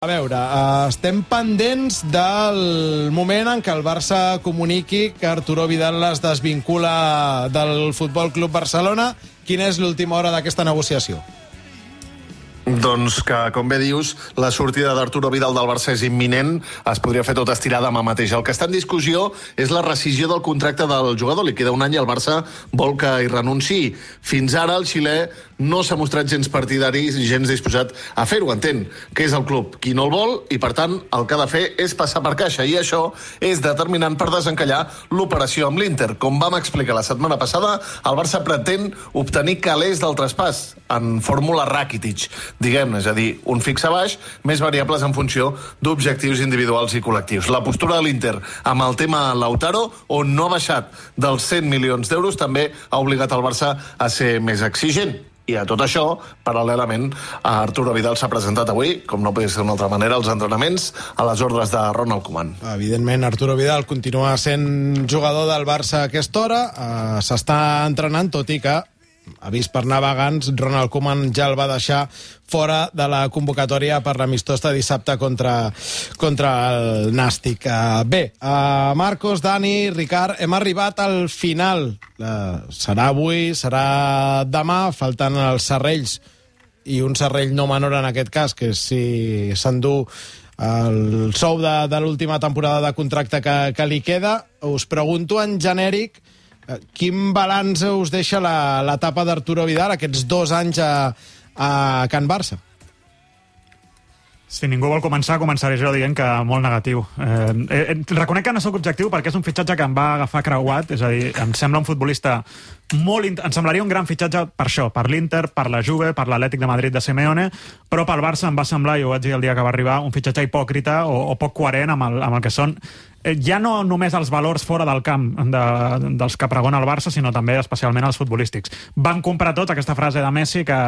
A veure, estem pendents del moment en què el Barça comuniqui que Arturo Vidal es desvincula del Futbol Club Barcelona. Quina és l'última hora d'aquesta negociació? Doncs que, com bé dius, la sortida d'Arturo Vidal del Barça és imminent, es podria fer tot estirar demà mateix. El que està en discussió és la rescissió del contracte del jugador. Li queda un any i el Barça vol que hi renunciï. Fins ara el xilè no s'ha mostrat gens partidari, gens disposat a fer-ho. Entén que és el club qui no el vol i, per tant, el que ha de fer és passar per caixa. I això és determinant per desencallar l'operació amb l'Inter. Com vam explicar la setmana passada, el Barça pretén obtenir calés del traspàs en fórmula Rakitic, diguem-ne, és a dir, un fix a baix, més variables en funció d'objectius individuals i col·lectius. La postura de l'Inter amb el tema Lautaro, on no ha baixat dels 100 milions d'euros, també ha obligat el Barça a ser més exigent. I a tot això, paral·lelament, Arturo Vidal s'ha presentat avui, com no podria ser d'una altra manera, als entrenaments a les ordres de Ronald Koeman. Evidentment, Arturo Vidal continua sent jugador del Barça a aquesta hora, s'està entrenant, tot i que ha vist per navegants, Ronald Koeman ja el va deixar fora de la convocatòria per l'amistós de dissabte contra el Nàstic. Bé, Marcos, Dani, Ricard, hem arribat al final. Serà avui, serà demà, faltant els serrells, i un serrell no menor en aquest cas, que si s'endú el sou de l'última temporada de contracte que li queda. Us pregunto en genèric, quin balanç us deixa l'etapa d'Arturo Vidal, aquests 2 anys a Can Barça? Si ningú vol començaré jo dient que molt negatiu. Reconec que no sóc objectiu perquè és un fitxatge que em va agafar creuat, és a dir, em sembla un futbolista em semblaria un gran fitxatge per això, per l'Inter, per la Juve, per l'Atlètic de Madrid de Simeone, però pel Barça em va semblar, i ho vaig dir el dia que va arribar, un fitxatge hipòcrita o poc coherent amb el que són ja no només els valors fora del camp dels que pregona el Barça, sinó també especialment els futbolístics. Van comprar tot, aquesta frase de Messi, que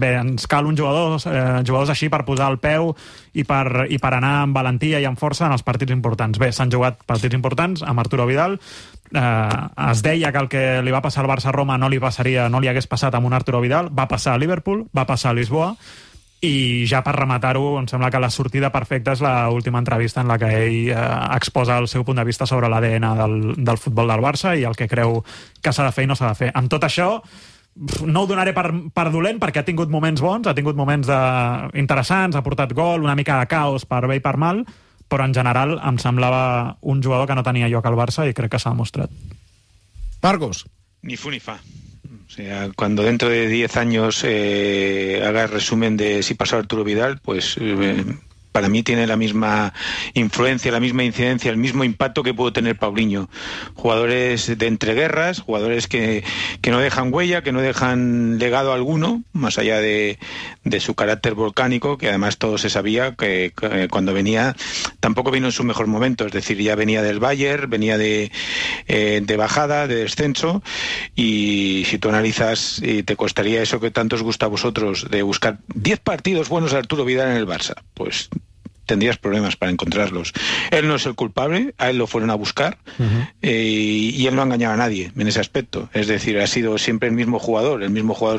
bé, ens cal jugadors així per posar el peu i per anar amb valentia i amb força en els partits importants. Bé, s'han jugat partits importants amb Arturo Vidal. Es deia que el que li va passar al Barça a Roma no li hagués passat amb un Arturo Vidal. Va passar a Liverpool, va passar a Lisboa, i ja per rematar-ho, em sembla que la sortida perfecta és l'última entrevista en la que ell exposa el seu punt de vista sobre l'ADN del futbol del Barça i el que creu que s'ha de fer i no s'ha de fer. Amb tot això, no ho donaré per dolent, perquè ha tingut moments bons, ha tingut moments interessants, ha portat gol, una mica de caos per bé i per mal, però en general em semblava un jugador que no tenia lloc al Barça i crec que s'ha demostrat. Marcos. Ni fu ni fa. O sea, cuando dentro de 10 años haga el resumen de si pasó Arturo Vidal, pues para mí tiene la misma influencia, la misma incidencia, el mismo impacto que pudo tener Paulinho. Jugadores de entreguerras, jugadores que no dejan huella, que no dejan legado alguno, más allá de su carácter volcánico, que además todo se sabía que cuando venía tampoco vino en su mejor momento, es decir, ya venía del Bayern, venía de bajada, de descenso, y si tú analizas, y te costaría eso que tanto os gusta a vosotros, de buscar 10 partidos buenos de Arturo Vidal en el Barça, pues tendrías problemas para encontrarlos. Él no es el culpable, a él lo fueron a buscar, y él no ha engañado a nadie en ese aspecto. Es decir, ha sido siempre el mismo jugador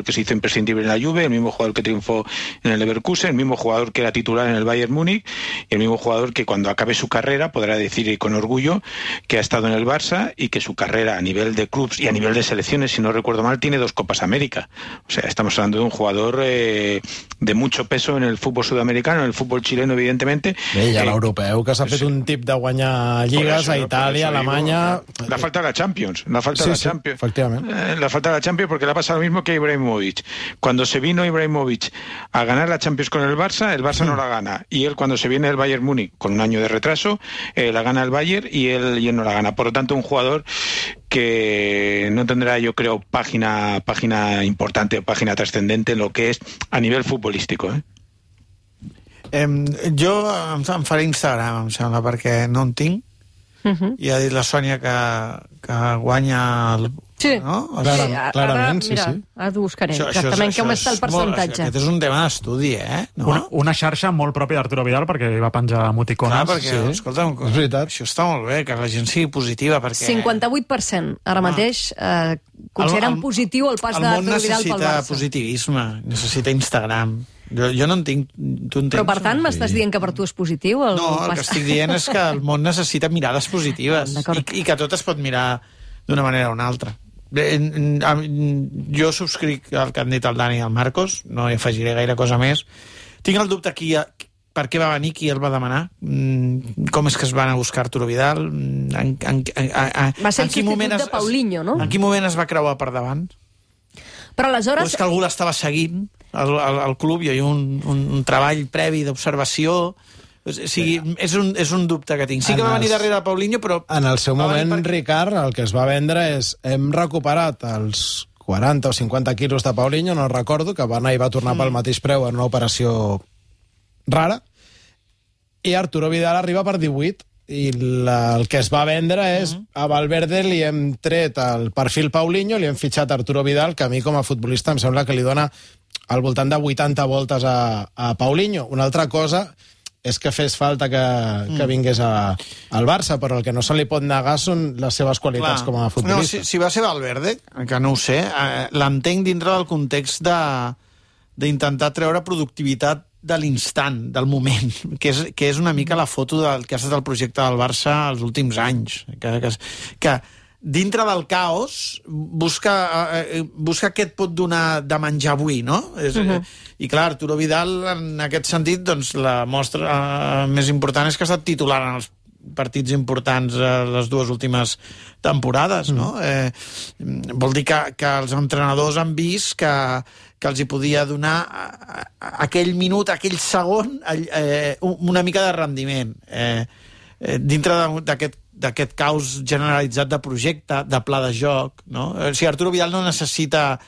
que se hizo imprescindible en la Juve, el mismo jugador que triunfó en el Leverkusen, el mismo jugador que era titular en el Bayern Múnich, y el mismo jugador que cuando acabe su carrera podrá decir con orgullo que ha estado en el Barça y que su carrera a nivel de clubs y a nivel de selecciones, si no recuerdo mal, tiene 2 Copas América. O sea, estamos hablando de un jugador de mucho peso en el fútbol sudamericano, en el fútbol chileno, evidentemente. Bé, i a l'europeu, que s'ha fet un tip de guanyar lligues a Itàlia, a Alemanya... La falta de la Champions. Efectivament. La falta de la Champions, porque le ha pasado lo mismo que a Ibrahimovic. Cuando se vino Ibrahimovic a ganar la Champions con el Barça no la gana. Y él, cuando se viene el Bayern Múnich, con un año de retraso, la gana el Bayern y él no la gana. Por lo tanto, un jugador que no tendrá, yo creo, página importante, página trascendente en lo que es a nivel futbolístico, Jo em faré Instagram, em sembla, perquè no en tinc. I ha dit la Sònia que guanya Sí, no? Clarament, mira, ara t'ho buscaré, exactament com està el percentatge. Aquest és un tema d'estudi, no? Una xarxa molt pròpia d'Arturo Vidal, perquè va penjar emoticones. Clar, perquè, escolta'm, és veritat. això està molt bé, que la gent sigui positiva, perquè... 58% ara mateix consideren positiu el pas d'Arturo Vidal pel Barça. El món necessita positivisme, necessita Instagram, Jo no en tinc... Tu en tens? Però, per tant, m'estàs dient que per tu és positiu? No, el que estic dient és que el món necessita mirades positives i que tot es pot mirar d'una manera o una altra. Jo subscric el que han dit el Dani i el Marcos, no hi afegiré gaire cosa més. Tinc el dubte aquí per què va venir, qui el va demanar, com és que es van a buscar Arturo Vidal, va ser el substitut de Paulinho, no? En quin moment es va creuar per davant? Però aleshores... O és que algú l'estava seguint al club, hi havia un treball previ d'observació. O sigui, és un dubte que tinc. Sí que va venir darrere Paulinho, però... En el seu moment, Ricard, el que es va vendre és hem recuperat els 40 o 50 quilos de Paulinho, no recordo, que va anar i va tornar pel mateix preu en una operació rara, i Arturo Vidal arriba per 18, i el que es va vendre és a Valverde li hem tret el perfil Paulinho, li hem fitxat Arturo Vidal, que a mi com a futbolista em sembla que li dona al voltant de 80 voltes a Paulinho. Una altra cosa és que fes falta que vingués al Barça, però el que no se li pot negar són les seves qualitats com a futbolista. No, si va ser Valverde, que no ho sé, l'entenc dintre del context d'intentar treure productivitat de l'instant, del moment, que és una mica la foto del que ha estat el projecte del Barça els últims anys, que dintre del caos busca què et pot donar de menjar avui, no? I clar, Arturo Vidal, en aquest sentit, doncs, la mostra més important és que ha estat titular en els partits importants les dues últimes temporades, no? Vol dir que els entrenadors han vist que els hi podia donar aquell minut, aquell segon, una mica de rendiment. Dintre d'aquest caos generalitzat de projecte, de pla de joc, no? O sigui, Arturo Vidal no necessita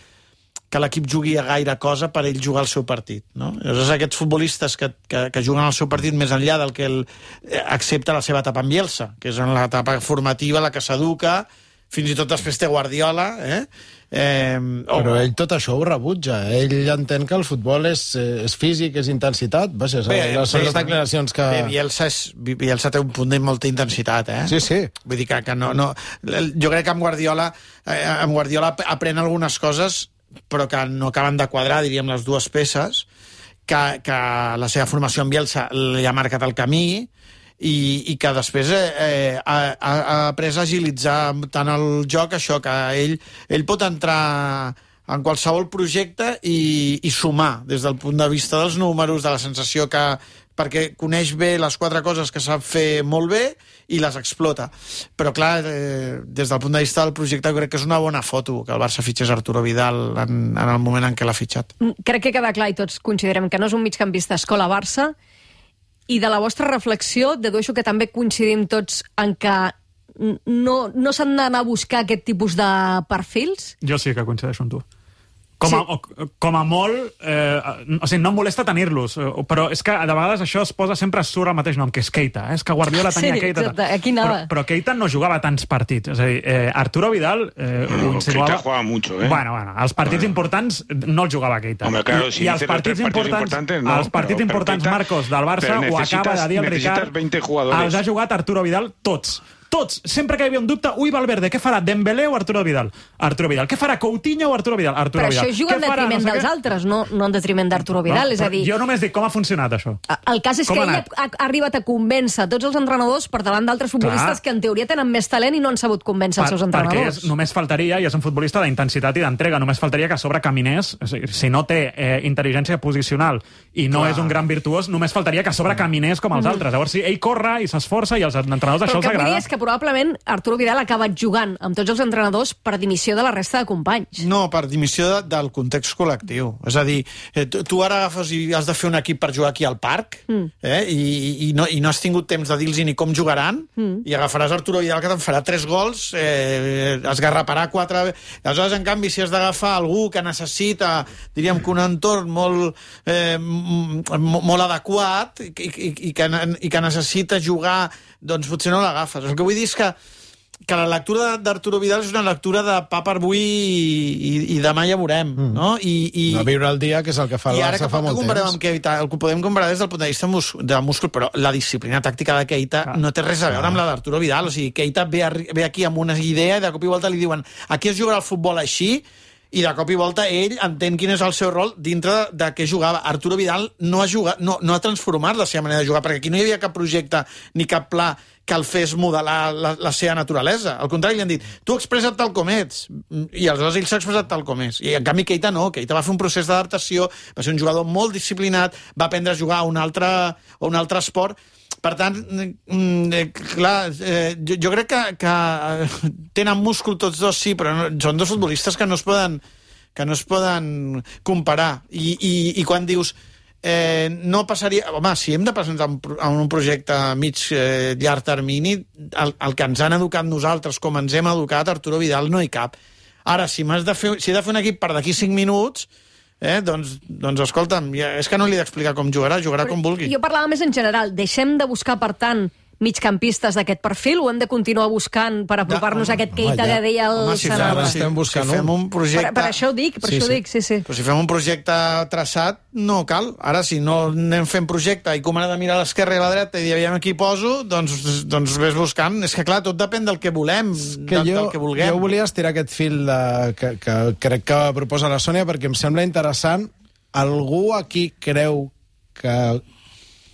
que l'equip jugui a gaire cosa per ell jugar el seu partit, no? Llavors, aquests futbolistes que juguen el seu partit més enllà del que accepta la seva etapa en Bielsa, que és en l'etapa formativa, la que s'educa, fins i tot després té Guardiola, però ell tot això ho rebutja. Ell entén que el futbol és físic, és intensitat. Són les declaracions que... Bielsa té un punt de molta intensitat, Sí. Vull dir que no... Jo crec que amb Guardiola aprèn algunes coses, però que no acaben de quadrar, diríem, les dues peces, que la seva formació en Bielsa li ha marcat el camí, i que després ha après a agilitzar tant el joc, això, que ell pot entrar en qualsevol projecte i sumar des del punt de vista dels números, de la sensació perquè coneix bé les 4 coses que sap fer molt bé i les explota. Però clar, des del punt de vista del projecte jo crec que és una bona foto que el Barça fitxés Arturo Vidal en el moment en què l'ha fitxat. Crec que queda clar i tots considerem que no és un migcampista escola Barça. I de la vostra reflexió, dedueixo que també coincidim tots en que no s'han d'anar a buscar aquest tipus de perfils? Jo sí que coincideixo amb tu. Com a molt... o sigui, no em molesta tenir-los, però és que de vegades això es posa sempre surt el mateix nom, que és Keita. És que Guardiola tenia Keita. Exacte, aquí anava. Però Keita no jugava tants partits. És a dir, Arturo Vidal... Keita jugava mucho, Bueno, els partits importants no els jugava Keita. Hombre, claro, si I els partits importants, no, els partits importants, Keita, Marcos, del Barça, ho acaba de dir el Ricard, els ha jugat Arturo Vidal tots. Tots, sempre que hi havia un dubte, Valverde, què farà, Dembélé o Arturo Vidal? Arturo Vidal. Què farà, Coutinho o Arturo Vidal? Arturo Vidal. Però això juga en detriment dels altres, no en detriment d'Arturo Vidal, és a dir... Jo només dic com ha funcionat això. El cas és que ell ha arribat a convèncer tots els entrenadors per davant d'altres futbolistes que en teoria tenen més talent i no han sabut convèncer els seus entrenadors. Perquè només faltaria, i és un futbolista d'intensitat i d'entrega, només faltaria que a sobre caminés, si no té intel·ligència posicional i no és un gran virtuós, només faltaria que a sobre caminés com els altres. Llavors, si ell corre i s'esforça i als entrenadors això els agrada... Però el que vull dir és que probablement Arturo Vidal ha acabat jugant amb tots els entrenadors per dimissió de la resta de companys. No, per dimissió del context col·lectiu. És a dir, tu ara agafes i has de fer un equip per jugar aquí al parc i no has tingut temps de dir-los ni com jugaran i agafaràs Arturo Vidal que te'n farà 3 gols, esgarraparà 4... Aleshores, en canvi, si has d'agafar algú que necessita, diríem que un entorn molt adequat i que necessita jugar, doncs potser no l'agafes. El que vull dir és que la lectura d'Arturo Vidal és una lectura de pa per avui i demà ja veurem, no? No viure el dia, que és el que fa el Barça fa molt temps. Keita, el podem comparar des del punt de vista de múscul, però la disciplina tàctica de Keita no té res a veure amb la d'Arturo Vidal. O sigui, Keita ve aquí amb una idea i de cop i volta li diuen aquí es jugarà el futbol així i de cop i volta ell entén quin és el seu rol dintre de què jugava. Arturo Vidal no ha transformat la seva manera de jugar, perquè aquí no hi havia cap projecte ni cap pla que el fes modelar la seva naturalesa. Al contrari, li han dit, tu expressa't tal com ets, i aleshores ell s'ha expressat tal com és. I en canvi Keita no, Keita va fer un procés d'adaptació, va ser un jugador molt disciplinat, va aprendre a jugar a un altre esport. Per tant, clar, jo crec que tenen múscul tots dos, sí, però són dos futbolistes que no es poden comparar. I quan dius no passaria... Home, si hem de presentar un projecte llarg termini, el que ens han educat nosaltres, com ens hem educat, Arturo Vidal no hi cap. Ara, si he de fer un equip per d'aquí 5 minuts, doncs escolta'm, és que no li he d'explicar com jugarà com vulgui. Jo parlava més en general. Deixem de buscar, per tant, migcampistes d'aquest perfil, o hem de continuar buscant per apropar-nos a aquest Keita que deia el Sanabria? Si fem un projecte... Per això ho dic, sí. Però si fem un projecte traçat, no cal. Ara, si no anem fent projecte i com ha de mirar a l'esquerra i a la dreta i aviam aquí poso, doncs ves buscant. És que, clar, tot depèn del que volem, del que vulguem. Jo volia estirar aquest fil que crec que proposa la Sònia, perquè em sembla interessant. Algú aquí creu que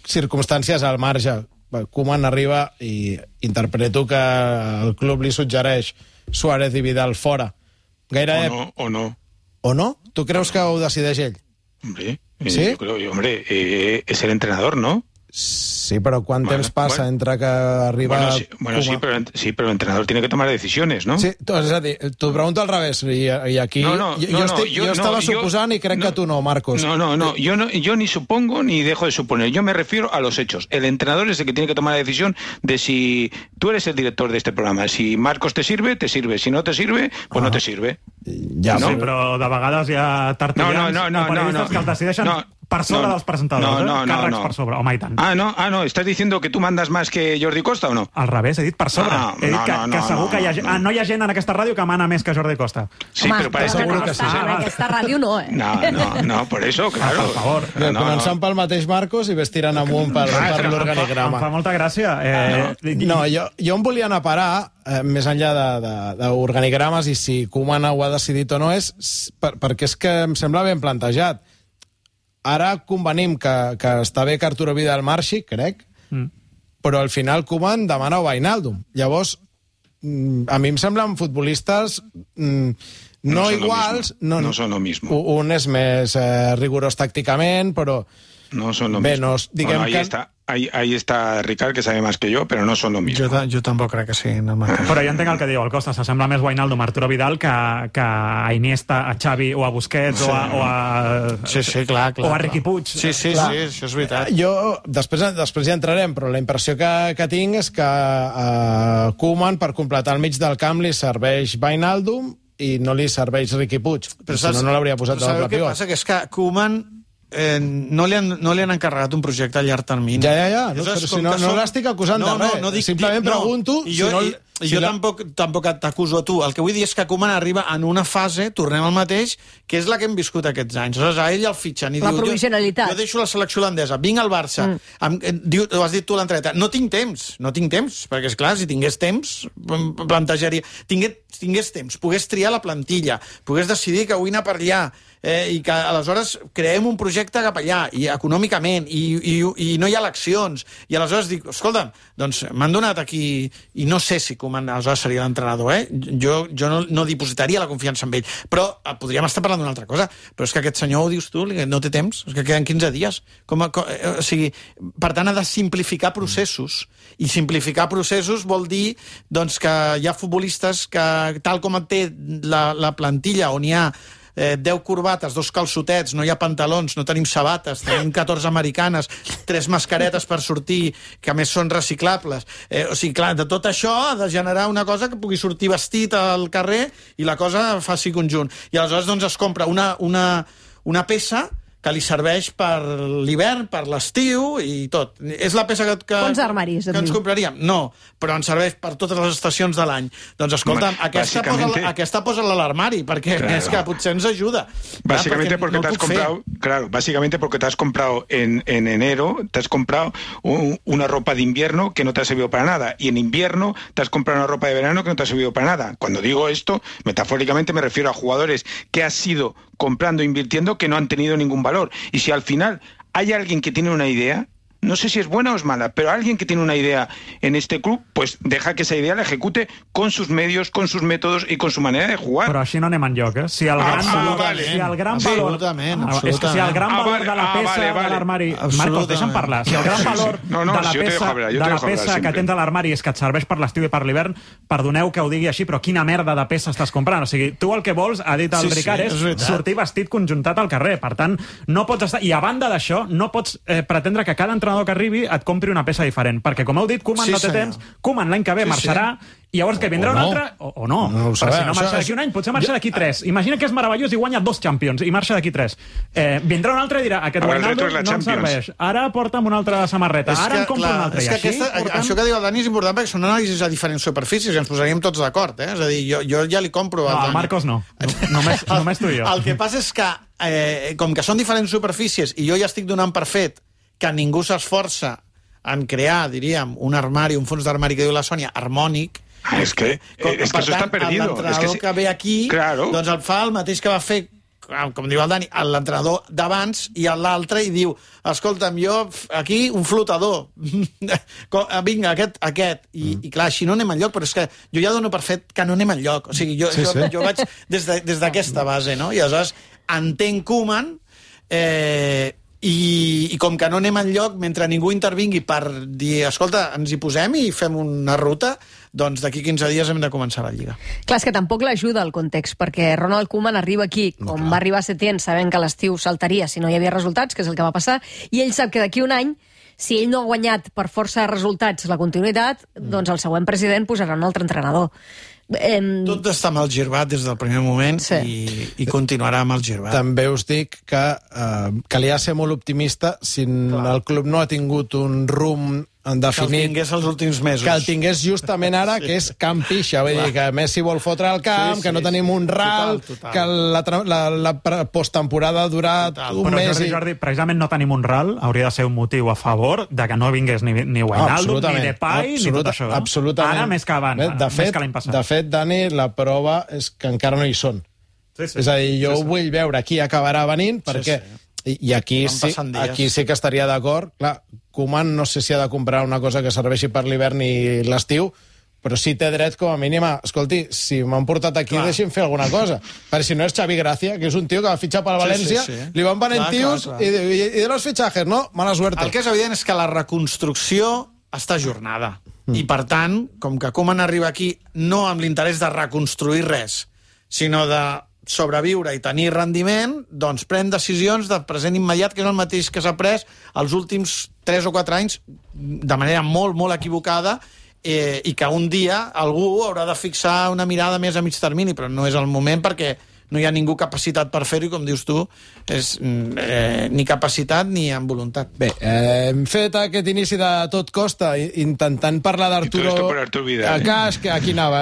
circumstàncies al marge... Koeman arriba i interpreto que el club li suggereix Suárez i Vidal fora. O no. ¿O no? ¿Tú creus que ho decideix ell? Hombre, ¿Sí? yo creo, es el entrenador, ¿no? Sí, pero ¿cuánto temps passa entre que arriba... Sí, pero el entrenador tiene que tomar decisiones, ¿no? Sí, és a dir, t'ho pregunto al revés, i aquí... Jo estava suposant i crec que tu no, Marcos. No, yo ni supongo ni dejo de suponer, yo me refiero a los hechos. El entrenador es el que tiene que tomar la decisión de si tú eres el director de este programa. Si Marcos te sirve, si no te sirve, pues no te sirve. Ja, no? Sí, però de vegades hi ha tertulians o periodistes que el decideixen per sobre dels presentadors, càrrecs per sobre, home, i tant. No, ¿estás diciendo que tú mandas más que Jordi Costa o no? Al revés, he dit per sobre. He dit que segur que hi ha gent... no hi ha gent en aquesta ràdio que mana més que Jordi Costa. Sí, home, però parece seguro que sí. En aquesta ràdio no, No, por eso, claro. Per favor. Començant pel mateix Marcos i ves tirant amunt per l'organigrama. Em fa molta gràcia. Jo em volia anar a parar, més enllà d'organigrames, i si Koeman ho ha decidit o no, és perquè és que em sembla ben plantejat. Ara convenim que està bé que Arturo Vidal marxi, crec, però al final Koeman demana Wijnaldum. Llavors, a mi em semblen futbolistes no iguals... No son lo mismo. Un és més rigorós tàcticament, però... No son lo mismo. Ahí está Ricard, que sabe más que yo, pero no son lo mismo. Jo tampoc crec que siguin el mateix. Però jo entenc el que diu el Costa. S'assembla més Wijnaldum a Arturo Vidal que a Iniesta, a Xavi o a Busquets o a... Sí, clar. O a Riqui Puig. Sí, això és veritat. Jo, després ja entrarem, però la impressió que tinc és que a Koeman, per completar el mig del camp, li serveix Wijnaldum i no li serveix Riqui Puig. Però si no l'hauria posat de doble pivot. Sabeu què passa? Que és que Koeman no li han encarregat un projecte a llarg termini. Ja. Però si no l'estic acusant de res. Simplement pregunto... Jo tampoc t'acuso a tu. El que vull dir és que Koeman arriba en una fase, tornem al mateix, que és la que hem viscut aquests anys. Aleshores, a ell el fitxen i la diu... provisionalitat. Jo deixo la selecció holandesa, vinc al Barça. Ho has dit tu a l'entreta. No tinc temps, perquè, esclar, si tingués temps, plantejaria... Tingués temps, pogués triar la plantilla, pogués decidir que vull anar per allà, i que aleshores creem un projecte cap allà, i econòmicament, i no hi ha eleccions. I aleshores dic, escolta'm, doncs m'han donat aquí... I no sé si Koeman aleshores seria l'entrenador, Jo no dipositaria la confiança en ell. Però podríem estar parlant d'una altra cosa. Però és que aquest senyor, ho dius tu, no té temps, és que queden 15 dies. O sigui, per tant, ha de simplificar processos. I simplificar processos vol dir doncs, que hi ha futbolistes que, tal com té la plantilla, on hi ha 10 corbates, 2 calçotets, no hi ha pantalons, no tenim sabates, tenim 14 americanes, 3 mascaretes per sortir, que a més són reciclables. O sigui, clar, de tot això ha de generar una cosa que pugui sortir vestit al carrer i la cosa faci conjunt. I aleshores doncs, es compra una peça que li serveix per l'hivern, per l'estiu i tot. És la peça que Fons d'armaris, ens compraríem? No, però ens serveix per totes les estacions de l'any. Doncs escolta'm, aquesta posa-la a l'armari, perquè és que potser ens ajuda. Básicamente porque te has comprado en enero, te has comprado una ropa de invierno que no te ha servido para nada, y en invierno te has comprado una ropa de verano que no te ha servido para nada. Cuando digo esto, metafóricamente me refiero a jugadores que has ido comprando e invirtiendo que no han tenido ningún valor. Y si al final hay alguien que tiene una idea, no sé si es buena o es mala, pero alguien que tiene una idea en este club, pues deja que esa idea la ejecute con sus medios, con sus métodos y con su manera de jugar. Però així no anem enlloc, eh? Si el gran valor de la peça de l'armari... Marcos, deixa'm parlar. Si el gran valor de la peça que tens a l'armari és que et serveix per l'estiu i per l'hivern, perdoneu que ho digui així, però quina merda de peça estàs comprant? O sigui, tu el que vols, ha dit el Ricard, és sortir vestit conjuntat al carrer. Per tant, no pots estar... I a banda d'això, no pots pretendre que cada entrenador que arribi et compri una peça diferent, perquè com heu dit, Koeman no té temps, Koeman l'any que ve marxarà, i llavors que vindrà un altre o no, però si no marxa d'aquí un any, potser marxa d'aquí 3. Imagina que és meravellós i guanya 2 Champions i marxa d'aquí 3. Vindrà un altre i dirà, aquest Wijnaldum no em serveix, ara porta'm una altra samarreta, ara em compro una altra. Això que diu el Dani és important perquè són anàlisis a diferents superfícies i ens posaríem tots d'acord, és a dir, jo ja li compro al Dani. Marcos no, només tu i jo. El que passa és que, com que són diferents superfícies i jo ja estic donant per fet que ningú s'esforça en crear, diríem, un armari, un fons d'armari que diu la Sònia, harmònic. És que això està perdido. L'entrenador que ve aquí, doncs el fa el mateix que va fer, com diu el Dani, l'entrenador d'abans i l'altre, i diu, escolta'm, jo aquí un flotador, vinga, aquest. I clar, així no anem enlloc, però és que jo ja dono per fet que no anem enlloc. O sigui, jo vaig des d'aquesta base, no? I aleshores entenc Koeman, i com que no anem enlloc, mentre ningú intervingui per dir, escolta, ens hi posem i fem una ruta, doncs d'aquí 15 dies hem de començar la Lliga. Clar, és que tampoc l'ajuda el context, perquè Ronald Koeman arriba aquí, com va arribar a Setién, sabent que l'estiu saltaria si no hi havia resultats, que és el que va passar, i ell sap que d'aquí un any, si ell no ha guanyat per força de resultats la continuïtat, doncs el següent president posarà un altre entrenador. Tot està mal girbat des del primer moment i continuarà mal girbat. També us dic que calia ser molt optimista si el club no ha tingut un rumb definit, que el tingués els últims mesos, que el tingués justament ara, que és Camp Pixa, vull dir que Messi vol fotre el camp, que no tenim un ral, que la posttemporada ha durat un mes. Però Jordi, precisament no tenim un ral, hauria de ser un motiu a favor de que no vingués ni Wijnaldum, ni Depay, ni tot això. Absolutament. Ara més que abans, més que l'any passat. De fet, Dani, la prova és que encara no hi són. És a dir, jo ho vull veure, aquí acabarà venint, perquè... I aquí sí que estaria d'acord. Clar, Koeman no sé si ha de comprar una cosa que serveixi per l'hivern i l'estiu, però sí té dret com a mínim a... Escolti, si m'han portat aquí, deixi'm fer alguna cosa. Perquè si no és Xavi Gracia, que és un tio que va fitxar per València, li van venent tios i de los fichajes, no? Mala suerte. El que és evident és que la reconstrucció està ajornada. I per tant, com que Koeman arriba aquí no amb l'interès de reconstruir res, sinó de sobreviure i tenir rendiment, doncs pren decisions de present immediat, que és el mateix que s'ha pres els últims 3 o 4 anys de manera molt, molt equivocada, i que un dia algú haurà de fixar una mirada més a mig termini, però no és el moment perquè no hi ha ningú capacitat per fer-ho, i com dius tu, és ni capacitat ni amb voluntat. Bé, hem fet aquest inici de Tot Costa intentant parlar d'Arturo Vidal. Que aquí anava.